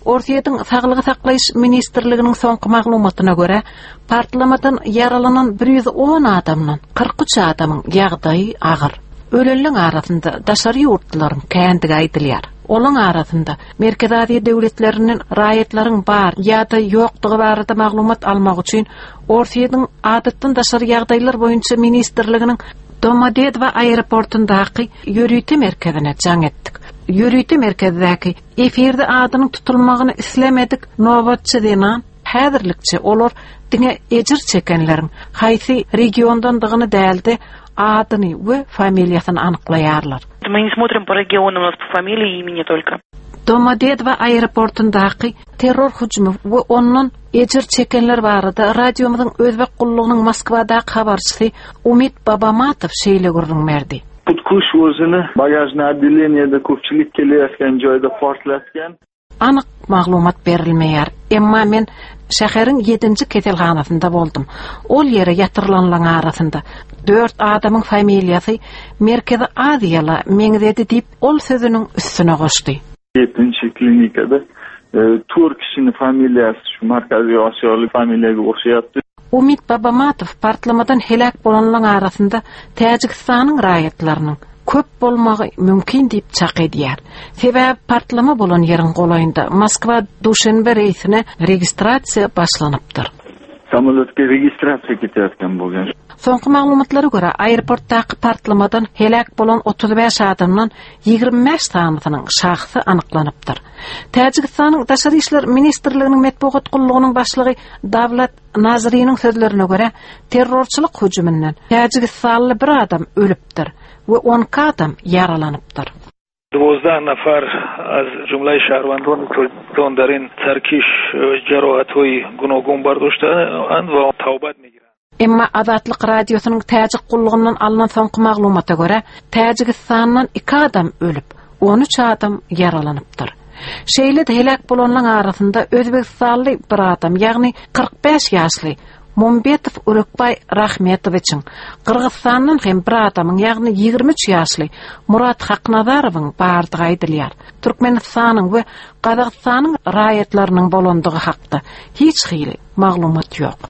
Orsýetiň Saglygy saklaýyş ministrliginiň soňky maglumatyna görä, partlamadan ýaralanan 110 adamdan 43 adamyň ýagdaýy agyr. Ölenleň arasynda daşary ýurtlularyň kändigi aýdylýar. Olaň arasynda Merkezi Aziýa döwletlerinden raýatlaryň bar ýa-da ýokdugy barada maglumat almak üçin Orsýetiň Adatdan daşary ýagdaýlar boýunça ministrliginiň Domodedowo aeroportundaky ýörite merkezine jaň etdik. Ýörite merkezdäki Efirde adynyň tutulmagyny islemedik nobatçy zenan häzirlikçe olar diňe ejir çekenleriň haýsy regiondandygyny däl-de, adyny we familiýasyny anyklaýarlar. Мы не смотрим по регионам, у нас по фамилии и имени только. Domodedowo aeroportundaky terror hüjümi we ondan ejir çekenler barada radiomyzyň özbek gullugynyň Moskwadaky habarçysy Umid Babamatow şeýle gürrüň berdi. Hutkuş özüni bagažnyý otdeleniýede köpçülik keleýatgan joýda portlatgan. Anyk maglumat berilmeýär. Emma men şäheriň ýedinji keselhanasynda boldum. Ol ýere ýatyrylanlaryň arasynda dört adamyň familiýasy Merkezi Aziýala meňzedi diýip, ol sözüniň üstüne goşdy. Ýedinji klinikada tort kişini familiýasy şu Markaziý Osiýaly familiýaga o'xshayapti. Umid Babamatow partlamadan heläk bolanlaryň arasynda Täjigistanyň raýatlarynyň köp bolmagy mümkin diýip çak edýär. Sebäbi partlama bolan ýeriň golaýynda Moskwa-Duşenbe reýsine registrasiýa başlanypdyr. Samolýotga registrasiýa ketayotgan bo'lgan. Soňky maglumatlara görä, aeroportdaky partlamadan heläk bolan 35 adamdan 25 sanysynyň şahsy anyklanypdyr. Täjigistanyň Daşary işler ministrliginiň metbugat gullugynyň başlygy Dawlat Naziriniň sözlerine görä, terrorçylyk hüjüminden täjigistanly bir adam ölüpdir we 12 adam ýaralanypdyr. 12 نفر از جمله شهروندان تاجیکستان در این ترکش جراحت‌های گوناگون برداشته‌اند و توبت می‌گیرند. Emma Azatlyk Radiosynyň Täjik gullugyndan alnan soňky maglumata görä, Täjigistandan iki adam ölüp, 13 adam ýaralanypdyr. Şeýle-de heläk bolanlaryň arasynda özbegistanly bir adam, ýagny 45 ýaşly Mumbetow Urekbaý Rahmetowiçiň, Gyrgyzystandan hem bir adamyň, ýagny 23 ýaşly Murat Haknazarowyň bardygy aýdylýar. Türkmenistanyň we Gazagystanyň raýatlarynyň bolandygy hakda hiç hili maglumat ýok.